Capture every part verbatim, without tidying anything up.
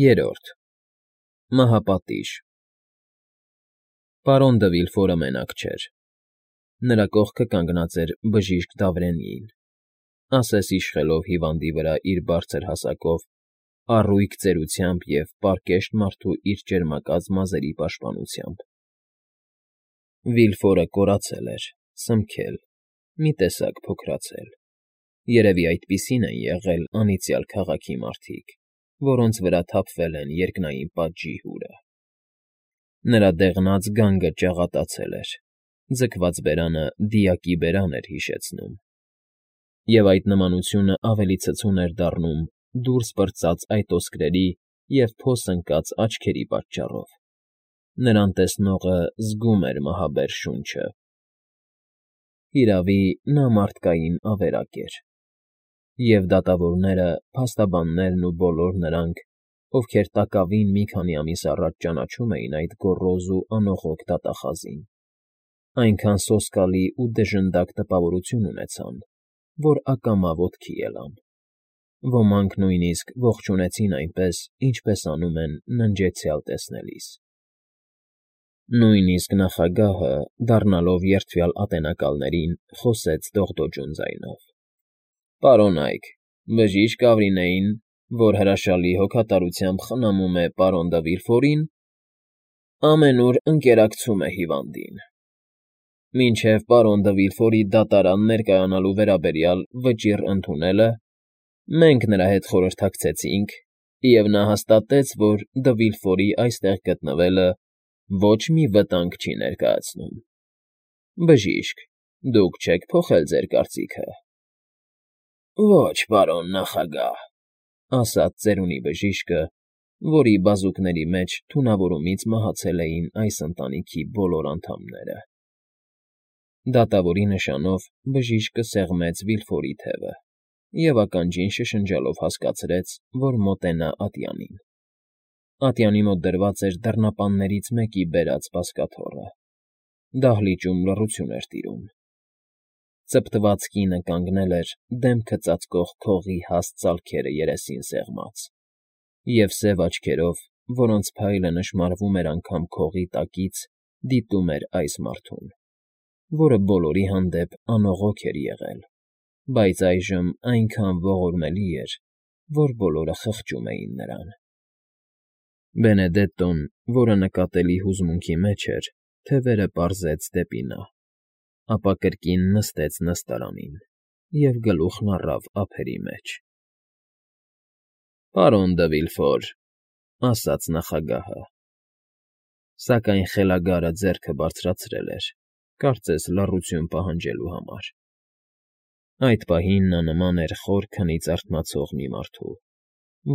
Երրորդ Մահապատիժ Պարոն դը Վիլֆորը մենակ չէր. նրա կողքը կանգնած էր բժիշկ Դավրենին, ասես իշխելով հիվանդի վրա իր բարձր հասակով, առույգ ծերությամբ և պարկեշտ մարդու իր ճերմակած մազերի պաշտպանությամբ. Վիլֆորը կորացել էր, սնմքել, մի տեսակ փոքրացել, երևի այդպիսին են եղել անիծյալ քաղաքի մարդիկ, որոնց վրա թափվել են երկնային պատժի հուրը. նրա դեղնած գանգը ճաղատացել էր, ձգված բերանը դիակի բերան էր հիշեցնում, և այդ նմանությունը ավելի ցցուն էր դառնում դուրս պրծած այտոսկրերի և փոս ընկած աչքերի պատճառով. նրան տեսնողը զգում էր մահաբեր շունչը։ Հիրավի, նա մարդկային ավերակ էր, և դատավորները, փաստաբաններն ու բոլոր նրանք, ովքեր տակավին մի քանի ամիս առաջ ճանաչում էին այդ գոռոզ ու անողոք դատախազին, այնքան սոսկալի ու դժնդակ տպավորություն ունեցան, որ ակամա ոտքի ելան. ոմանք նույնիսկ ողջունեցին այնպես, ինչպես անում են ննջեցյալ տեսնելիս։ Նույնիսկ նախագահը, դառնալով երդվյալ ատենակալներին, խոսեց դողդոջուն ձայնով. ֊ Պարոն Այք, բժիշկ Ավորինեին, որ հրաշալի հոգատարությամբ խնամում է պարոն դը Վիլֆորին, ամենուր ընկերակցում է հիվանդին։ Մինչև պարոն դը Վիլֆորի դատարան ներկայանալու վերաբերյալ վճիռ ընդունելը, մենք նրա հետ խորհրդակցեցինք, և նա հաստատեց, որ դը Վիլֆորի այստեղ գտնվելը ոչ մի վտանգ չի ներկայացնում։ Բժիշկ, դուք չե՞ք փոխել ձեր կարծիքը։ ֊ Ոչ, պարոն նախագահ, ֊ ասաց ծերունի բժիշկը, որի բազուկների մեջ թունավորումից մահացել էին այս ընտանիքի բոլոր անդամները։ Դատավորի նշանով բժիշկը սեղմեց Վիլֆորի թևը և ականջին շշնջալով հասկացրեց, որ մոտենա ատյանին։ Ատյանի մոտ դրված էր դռնապաններից մեկի բերած բազկաթոռը։ Դահլիճում լռություն էր տիրում։ Ծպտված կինը կանգնել էր դեմքը ծածկող քողի հաստ ծալքերը երեսին սեղմած, և սև աչքերով, որոնց փայլը նշմարվում էր անգամ քողի տակից, դիտում էր այս մարդուն, որը բոլորի հանդեպ անողոք էր եղել, բայց այժմ այնքան ողորմելի էր, որ բոլորը խղճում էին նրան։ Բենեդետտոն, որը նկատելի հուզմունքի մեջ էր, թևերը պարզեց դեպի նա, ապա կրկին նստեց նստարանին և գլուխն առավ ափերի մեջ։ ֊ Պարոն դը Վիլֆոր, ֊ ասաց նախագահը, սակայն խելագարը ձեռքը բարձրացրել էր, կարծես լռություն պահանջելու համար. այդ պահին նա նման էր խոր քնից արթնացող մի մարդու,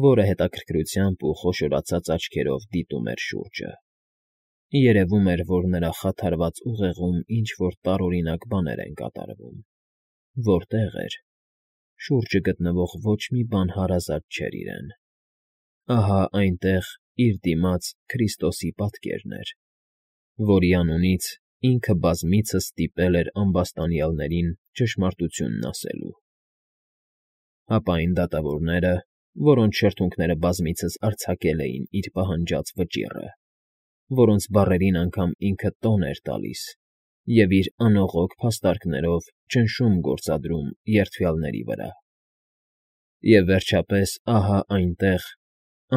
որը հետաքրքրությամբ ու խոշորացած աչքերով դիտում էր շուրջը. երևում էր, որ նրա խաթարված ուղեղում ինչ֊որ տարօրինակ բաներ են կատարվում։ Որտեղ էր, շուրջը գտնվող ոչ մի բան հարազատ չէր իրեն։ Ահա այնտեղ, իր դիմաց, Քրիստոսի պատկերն էր, որի անունից ինքը բազմիցս ստիպել էր ամբաստանյալներին ճշմարտությունն ասելու։ Հապա այն դատավորները, որոնց շրթունքները բազմիցս արձակել էին իր պահանջած վճիռը, որոնց բառերին անգամ ինքը տոն էր տալիս և իր անողոք փաստարկներով ճնշում գործադրում երդվյալների վրա։ Եվ վերջապես ահա այնտեղ,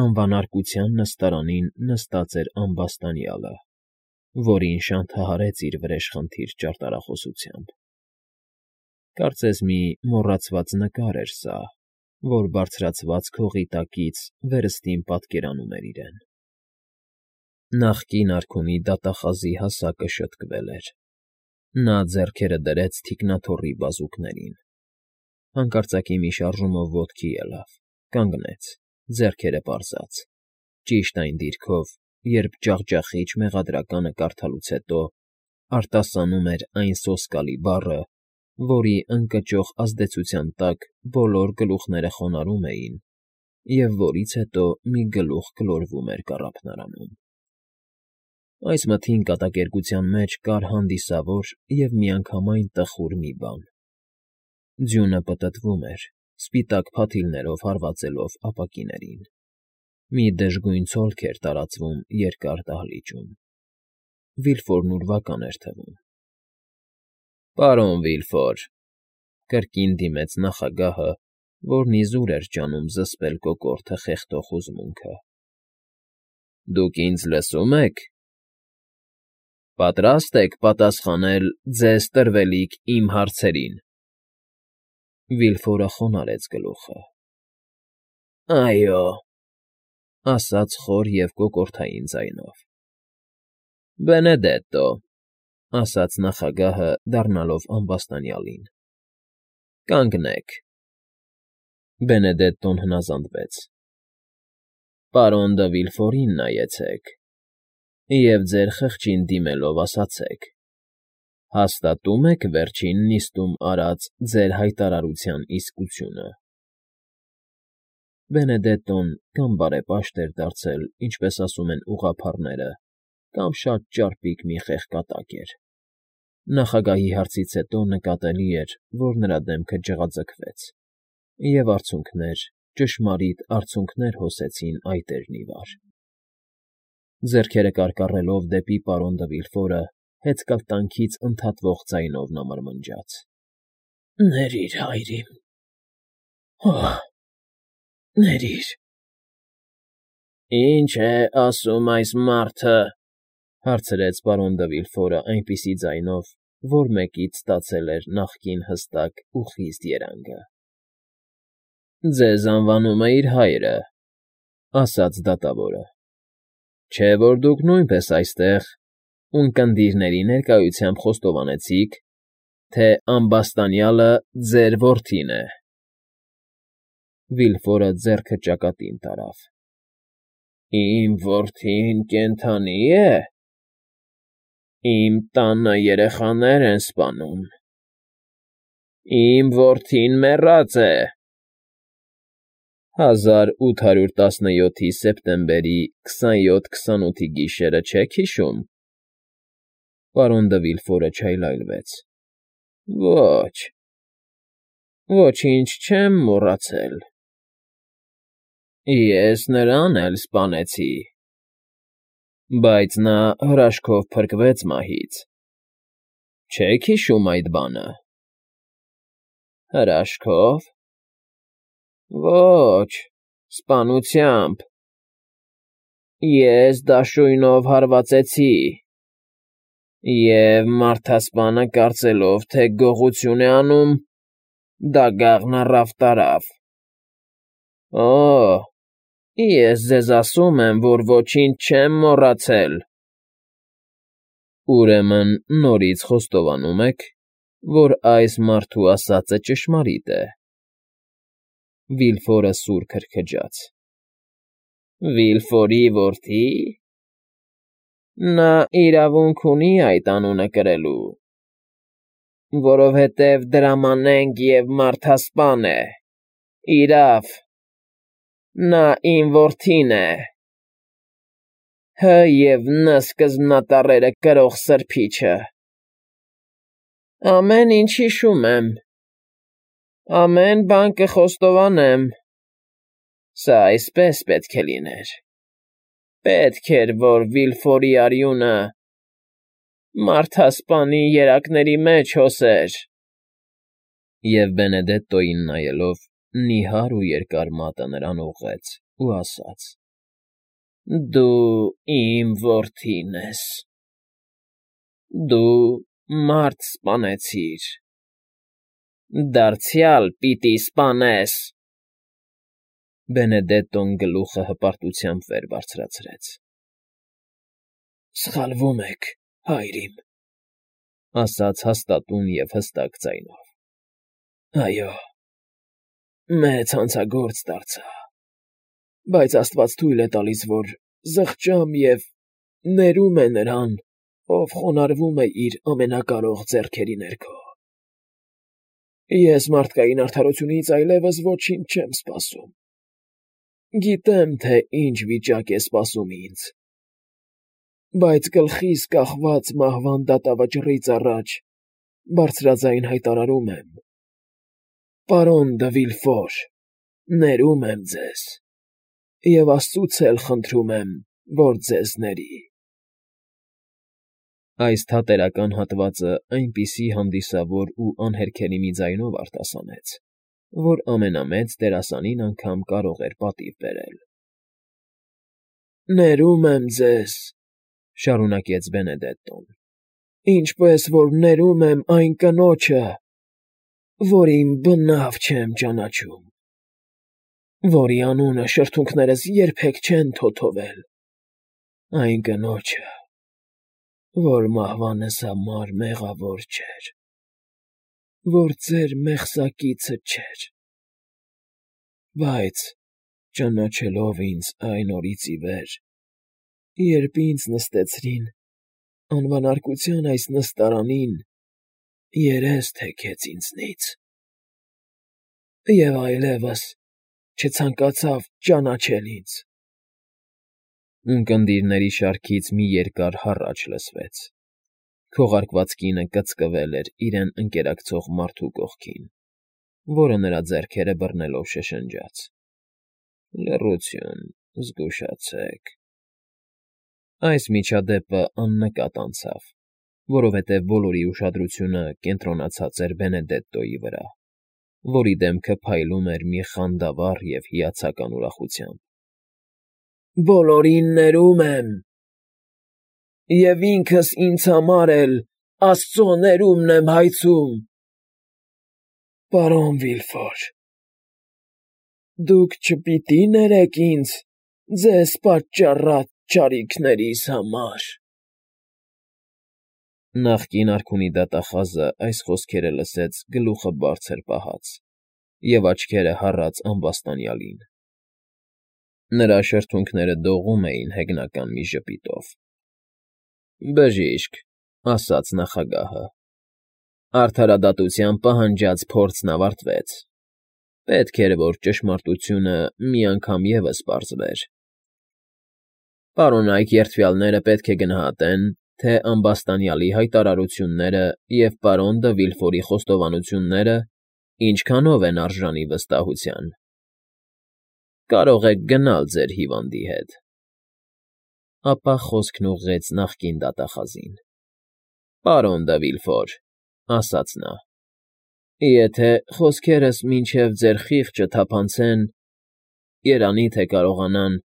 անվանարկության նստարանին նստած էր ամբաստանյալը, որին շանթահարեց իր վրեժխնդիր ճարտարախոսությամբ։ Կարծես մի մոռացված նկար էր սա, որ բարձրացված քողի տակից վերստին պատկերանում էր իրեն։ Նախկին արքունի դատախազի հասակը շտկվել էր։ Նա ձեռքերը դրեց թիկնաթոռի բազուկներին։ Հանկարծակի մի շարժումով ոտքի ելավ, կանգնեց, ձեռքերը պարզած, ճիշտ այն դիրքով, երբ ջախջախիչ մեղադրականը կարդալուց հետո արտասանում էր այն սոսկալի բառը, որի ընկճող ազդեցության տակ բոլոր գլուխները խոնարհում էին և որից հետո մի գլուխ գլորվում էր կառափնարանում։ Այս մթին կատակերգության մեջ կար հանդիսավոր և միանգամայն տխուր մի բան. ձյունը պտտվում էր, սպիտակ փաթիլներով հարվածելով ապակիներին։ Մի դժգույն ցոլք էր տարածվում երկար դահլիճում. Վիլֆորն ուրվական էր թվում։ ֊ Պարոն Վիլֆոր,֊ կրկին դիմեց նախագահը, որն իզուր էր ջանում զսպել կոկորդը խեղդող հուզմունքը։֊ Դուք ինձ լսո՞ւմ եք։ Պատրա՞ստ եք պատասխանել ձեզ տրվելիք իմ հարցերին։ Վիլֆորը խոնարհեց գլուխը։ ֊ Այո,֊ ասաց խոր և կոկորդային ձայնով։ ֊ Բենեդետտո,֊ ասաց նախագահը, դառնալով ամբաստանյալին,֊ կանգնեք։ Բենեդետտոն հնազանդվեց։ ֊ Պարոն դը Վիլֆորին նայեցեք և ձեր խղճին դիմելով ասացեք. հաստատո՞ւմ եք վերջին նիստում արած ձեր հայտարարության իսկությունը։ Բենեդետտոն կամ բարեպաշտ էր դարձել, ինչպես ասում են ուղղափառները, կամ շատ ճարպիկ մի խեղկատակ էր։ Նախագահի հարցից հետո նկատելի էր, որ նրա դեմքը ջղաձգվեց, և արցունքներ, ճշմարիտ արցունքներ հոսեցին այտերն ի վար։ Ձեռքերը կարկառելով դեպի պարոն դը Վիլֆորը, հեծկլտանքից ընդհատվող ձայնով նա մրմնջաց. ֊ Ներիր, հայրիկ… Օհ… ներիր… Ի՞նչ է ասում այս մարդը,֊ հարցրեց պարոն դը Վիլֆորը այնպիսի ձայնով, որ մեկից ստացել էր նախկին հստակ ու խիստ երանգը։ ֊ Ձեզ անվանում է իր հայրը,֊ ասաց դատավորը,֊ չէ՞ որ դուք նույնպես այստեղ ունկնդիրների ներկայությամբ խոստովանեցիք, թե ամբաստանյալը ձեր որդին է։ Վիլֆորը ձեռքը ճակատին տարավ։ ֊ Իմ որդին կենդանի՞ է։ Իմ տանը երեխաներ են սպանում։ Իմ որդին մեռած է։ Հազար ութ հարյուր տասնյոթի սեպտեմբերի քսանյոթ֊քսանութի գիշերը չե՞ք հիշում։ Պարոն դը Վիլֆորը չայլայլվեց։ ֊ Ոչ… ոչինչ չեմ մոռացել։ Ես նրան էլ սպանեցի, բայց նա հրաշքով փրկվեց մահից։ Չե՞ք հիշում այդ բանը։ ֊ Հրաշքո՞վ։ Ոչ… սպանությամբ… Ես դաշույնով հարվածեցի, և մարդասպանը, կարծելով, թե գողություն է անում, դագաղն առավ տարավ։ Օ՜, ես ձեզ ասում եմ, որ ոչինչ չեմ մոռացել։ Ուրեմն նորից խոստովանում եք, որ այս մարդու ասածը ճշմարիտ է։ Վիլֆորը սուր քրքջաց։ ֊ Վիլֆորի որդի՞… Նա իրավունք ունի այդ անունը կրելու, որովհետև դրամանենք և մարդասպան է, իրավ… Նա իմ որդին է… Հ և Ն սկզբնատառերը կրող սրբիչը… Ամեն ինչ հիշում եմ… Ամեն բան կխոստովանեմ… Սա այսպես պետք է լիներ… Պետք էր, որ Վիլֆորի արյունը մարդասպանի երակների մեջ հոսեր… Եվ Բենեդետտոյին նայելով, նիհար ու երկար մատը նրան ուղղեց ու ասաց. ֊ Դու իմ որդին ես… Դու մարդ սպանեցիր… Դարձյալ պիտի սպանես… Բենեդետտոն գլուխը հպարտությամբ վեր բարձրացրեց։ ֊ Սխալվում եք, հայրիկ,֊ ասաց հաստատուն և հստակ ձայնով։ ֊ Այո, մեծ հանցագործ դարձա, բայց աստված թույլ է տալիս, որ զղջամ և ներում է նրան, ով խոնարհվում է իր ամենակարող ձեռքերի ներքո։ Ես մարդկային արդարությունից այլևս ոչինչ չեմ սպասում։ Գիտեմ, թե ինչ վիճակ է սպասում ինձ, բայց գլխիս կախված մահվան դատավճռից առաջ բարձրաձայն հայտարարում եմ. պարոն դը Վիլֆոր, ներում եմ ձեզ Եվ աստծուց էլ խնդրում եմ, որ ձեզ ների։ Այս թատերական հատվածը այնպիսի հանդիսավոր ու անհերքելի մի ձայնով արտասանեց, որ ամենամեծ դերասանին անգամ կարող էր պատիվ բերել։ Ներում եմ ձեզ, շարունակեց Բենեդետտոն, ինչպես որ ներում եմ այն կնոջը, որին բնավ չեմ ճանաչում, որի անունը շրթունքներս երբեք չեն թոթովել, այն կնոջը, որ մահվանս համար մեղավոր չէր, որ ձեր մեղսակիցը չէր, բայց ճանաչելով ինձ այն օրից ի վեր, երբ ինձ նստեցրին անվանարկության այս նստարանին, երես թեքեց ինձնից, և այլևս չցանկացավ ճանաչել ինձ։ Ունկնդիրների շարքից մի երկար հառաչ լսվեց։ Քողարկված կինը կծկվել էր իրեն ընկերակցող մարդու կողքին, որը նրա ձեռքերը բռնելով շշնջաց. «Լռություն, զգուշացեք»։ Այս միջադեպը աննկատ անցավ, որովհետև բոլորի ուշադրությունը կենտրոնացած էր Բենեդետտոյի վրա, որի դեմքը փայլում էր մի խանդավառ և հիացական ուրախությամբ։ «Բոլորին ներում եմ, և ինքս ինձ համար էլ աստծո ներումն եմ հայցում, պարոն Վիլֆոր, դուք չպիտի՞ ներեք ինձ ձեզ պատճառած չարիքներիս համար»։ Նախկին արքունի դատախազը այս խոսքերը լսեց գլուխը բարձր պահած և աչքերը հառած ամբաստանյալին։ Նրա շրթունքները դողում էին հեգնական մի ժպիտով։ «Բժիշկ», ասաց նախագահը, «արդարադատության պահանջած փորձն ավարտվեց։ Պետք էր, որ ճշմարտությունը մի անգամ ևս պարզվեր։ Պարոնայք երդվյալները պետք է գնահատեն, թե ամբաստանյալի հայտարարությունները և պարոն դը Վիլֆորի խոստովանությունները ինչքանով են արժանի վստահության։ Կարող եք գնալ ձեր հիվանդի հետ»։ Ապա խոսքն ուղղեց նախկին դատախազին. «Պարոն դը Վիլֆոր», ասաց նա, «եթե խոսքերս մինչև ձեր խիղճը թափանցեն, երանի թե կարողանան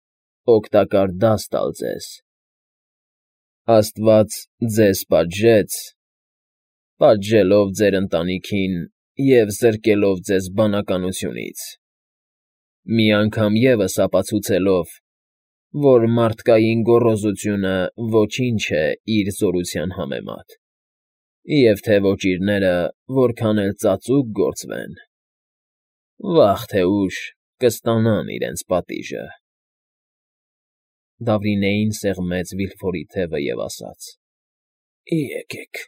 օգտակար դաս տալ ձեզ։ Աստված ձեզ պատժեց, պատժելով ձեր ընտանիքին և զրկելով ձեզ բանականությունից, մի անգամ ևս ապացուցելով, որ մարդկային գոռոզությունը ոչինչ է իր զորության համեմատ, և թե ոճիրները որքան էլ ծածուկ գործվեն, վաղ թե ուշ կստանան իրենց պատիժը»։ Դավրինեին սեղմեց Վիլֆորի թևը և ասաց. «Եկեք»։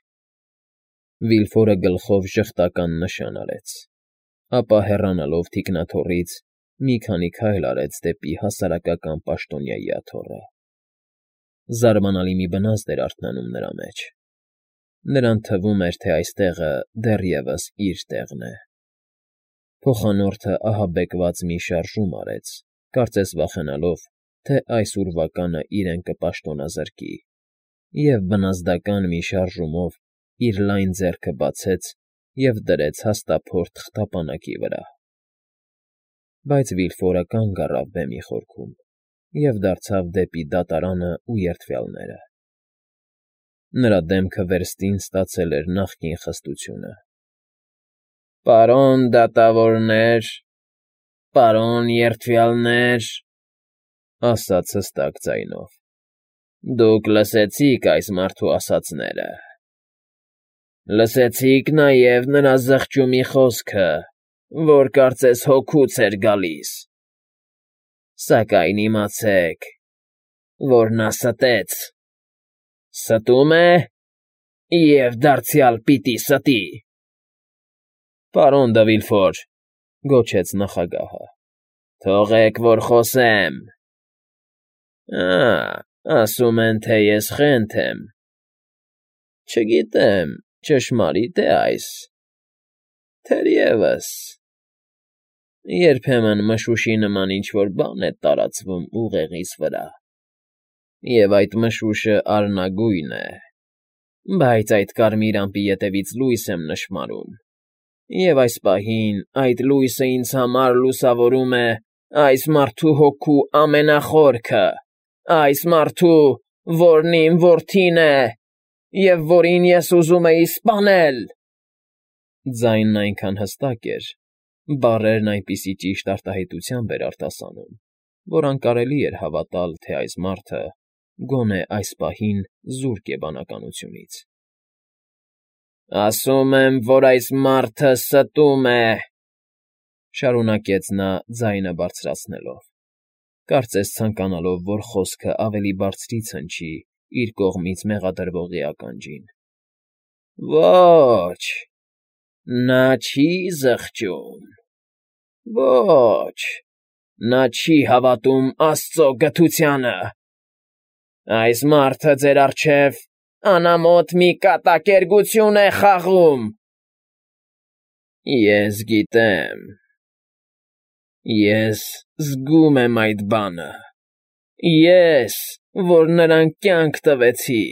Վիլֆորը գլխով ժխտական նշան արեց, ապա հեռանալով թիկնաթոռից մի քանի քայլ արեց դեպի հասարակական պաշտոնյայի աթոռը։ Զարմանալի մի բնազդ էր արթնանում նրա մեջ։ Նրան թվում էր, թե այստեղը դեռևս իր տեղն է։ Փոխանորդը ահաբեկված մի շարժում արեց, կարծես վախենալով, թե այս ուրվականը իրեն կպաշտոնազրկի, և բնազդական մի շարժումով իր լայն ձեռքը բացեց և դրեց հաստափոր թղթապանակի վրա։ Բայց Վիլֆորը կանգ առավ բեմի խորքում և դարձավ դեպի դատարանն ու երդվյալները։ Նրա դեմքը վերստին ստացել էր նախկին խստությունը։ «Պարոն դատավորներ, պարոն երդվյալներ», ասաց հստակ ձայնով, «դուք լսեցիք այս մարդու ասածները։ Լսեցիք նաև նրա զղջումի խոսքը, որ կարծես հոգուց էր գալիս, սակայն իմացեք, որ նա ստեց, ստում է և դարձյալ պիտի ստի»։ «Պարոն դը Վիլֆոր», գոչեց նախագահը, «թողեք, որ խոսեմ»։ «Ա՜, ասում են, թե ես խենթ եմ։ Չգիտեմ, ճշմարի՞տ է այս, թերևս։ Երբեմն մշուշի նման ինչ֊որ բան է տարածվում ուղեղիս վրա, և այդ մշուշը արնագույն է, բայց այդ կարմիր ամպի ետևից լույս եմ նշմարում, և այս պահին այդ լույսը ինձ համար լուսավորում է այս մարդու հոգու ամենախորքը, այս մարդու, որն իմ որդին է, և որին ես ուզում էի սպանել… Ձայնն այնքան հստակ էր, բառերն այնպիսի ճիշտ արտահայտությամբ էր արտասանում, որ անկարելի էր հավատալ, թե այս մարդը, գոնե այս պահին, զուրկ է բանականությունից։ ֊ Ասում եմ, որ այս մարդը ստում է,֊ շարունակեց նա ձայնը բարձրացնելով, կարծես ցանկանալով, որ խոսքը ավելի բարձրից հնչի իր կողմից մեղադրվողի ականջին։ ֊ Ո՛չ, նա չի զղջում, ո՛չ, նա չի հավատում աստծո գթությանը… Այս մարդը ձեր առջև անամոթ մի կատակերգություն է խաղում… Ես գիտեմ, ես զգում եմ այդ բանը, ես, որ նրան կյանք տվեցի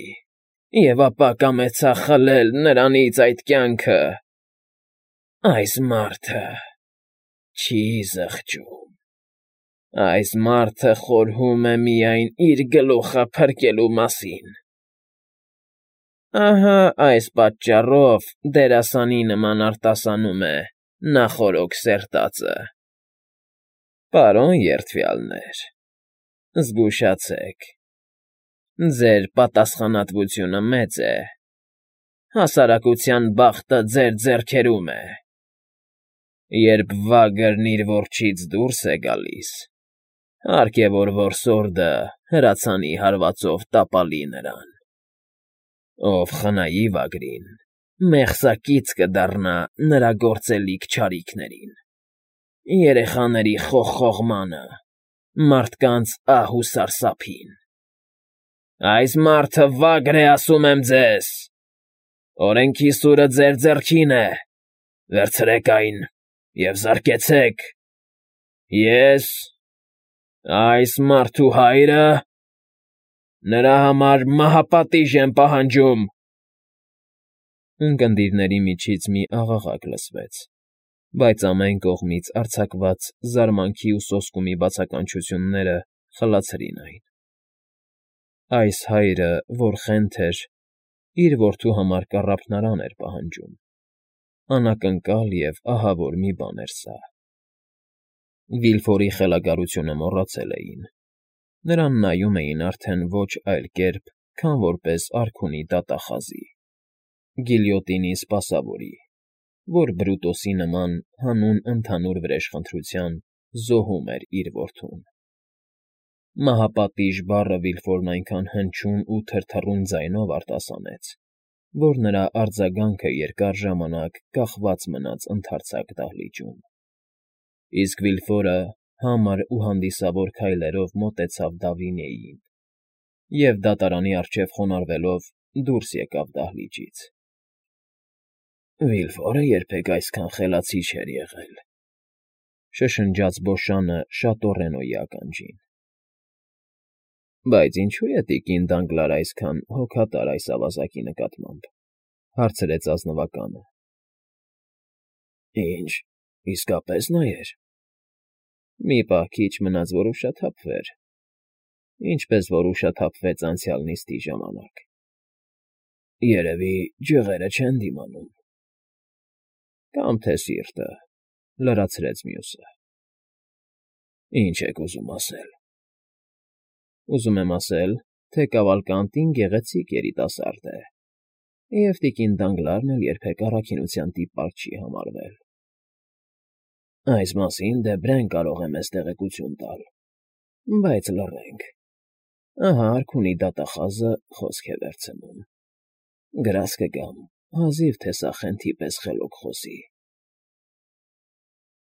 և ապա կամեցա խլել նրանից այդ կյանքը… Այս մարդը չի զղջում… Այս մարդը խորհում է միայն իր գլուխը փրկելու մասին… Ահա այս պատճառով դերասանի նման արտասանում է նախօրոք սերտածը… Պարոն երդվյալներ, զգուշացեք, ձեր պատասխանատվությունը մեծ է, հասարակության բախտը ձեր ձեռքերում է… Երբ վագրն իր որջից դուրս է գալիս, հարկ է, որ որսորդը հրացանի հարվածով տապալի նրան… Ով խնայի վագրին, մեղսակից կդառնա նրա գործելիք չարիքներին, երեխաների խողխողմանը, մարդկանց ահ ու սարսափին… Այս մարդը վագր է, ասում եմ ձեզ… Օրենքի սուրը ձեր ձեռքին է, վերցրեք այն և զարկեցեք… Ես, այս մարդու հայրը, նրա համար մահապատիժ եմ պահանջում… Ունկնդիրների միջից մի աղաղակ լսվեց, բայց ամեն կողմից արձակված զարմանքի ու սոսկումի բացականչությունները խլացրին այն… Այս հայրը, որ խենթ էր, իր որդու համար կառափնարան էր պահանջում… Անակնկալ և ահավոր մի բան էր սա… Վիլֆորի խելագարությունը մոռացել էին, նրան նայում էին արդեն ոչ այլ կերպ, քան որպես արքունի դատախազի, գիլյոտինի սպասավորի, որ Բրուտոսի նման հանուն ընդհանուր վրեժխնդրության զոհում էր իր որդուն… Մահապատիժ բառը Վիլֆորն այնքան հնչյուն ու թրթռուն ձայնով արտասանեց, որ նրա արձագանքը երկար ժամանակ կախված մնաց ընդարձակ դահլիճում… Իսկ Վիլֆորը համր ու հանդիսավոր քայլերով մոտեցավ Դավինիեին և, դատարանի առջև խոնարհվելով, դուրս եկավ դահլիճից… Վիլֆորը երբեք այսքան խելացի չէր եղել,֊ շշնջաց Բոշանը շատոռենոյի ականջին։ ֊ Բայց ինչո՞ւ է տիկին Դանգլարը այսքան հոգատար այս ավազակի նկատմամբ,֊ հարցրեց ազնվականը։ ֊ Ինչ, իսկապես նայեր… Մի պահ քիչ մնաց, որ ուշաթափվեր, ինչպես որ ուշաթափվեց անցյալ նիստի ժամանակ… Երևի ջղերը չեն դիմանում… ֊ Կամ թե սիրտը,֊ լրացրեց մյուսը։ ֊ Ինչ եք ուզում ասել։ ֊ Ուզում եմ ասել, թե Կավալկանտին գեղեցիկ երիտասարդ է, և տիկին Դանգլարն էլ երբեք առաքինության տիպակ չի համարվել… Այս մասին Դեբրեն կարող է մեզ տեղեկություն տալ, բայց լռենք… Ահա արքունի դատախազը խոսք է վերցնում… Գրազ կգամ, հազիվ թե սա խենթի պես խելոք խոսի…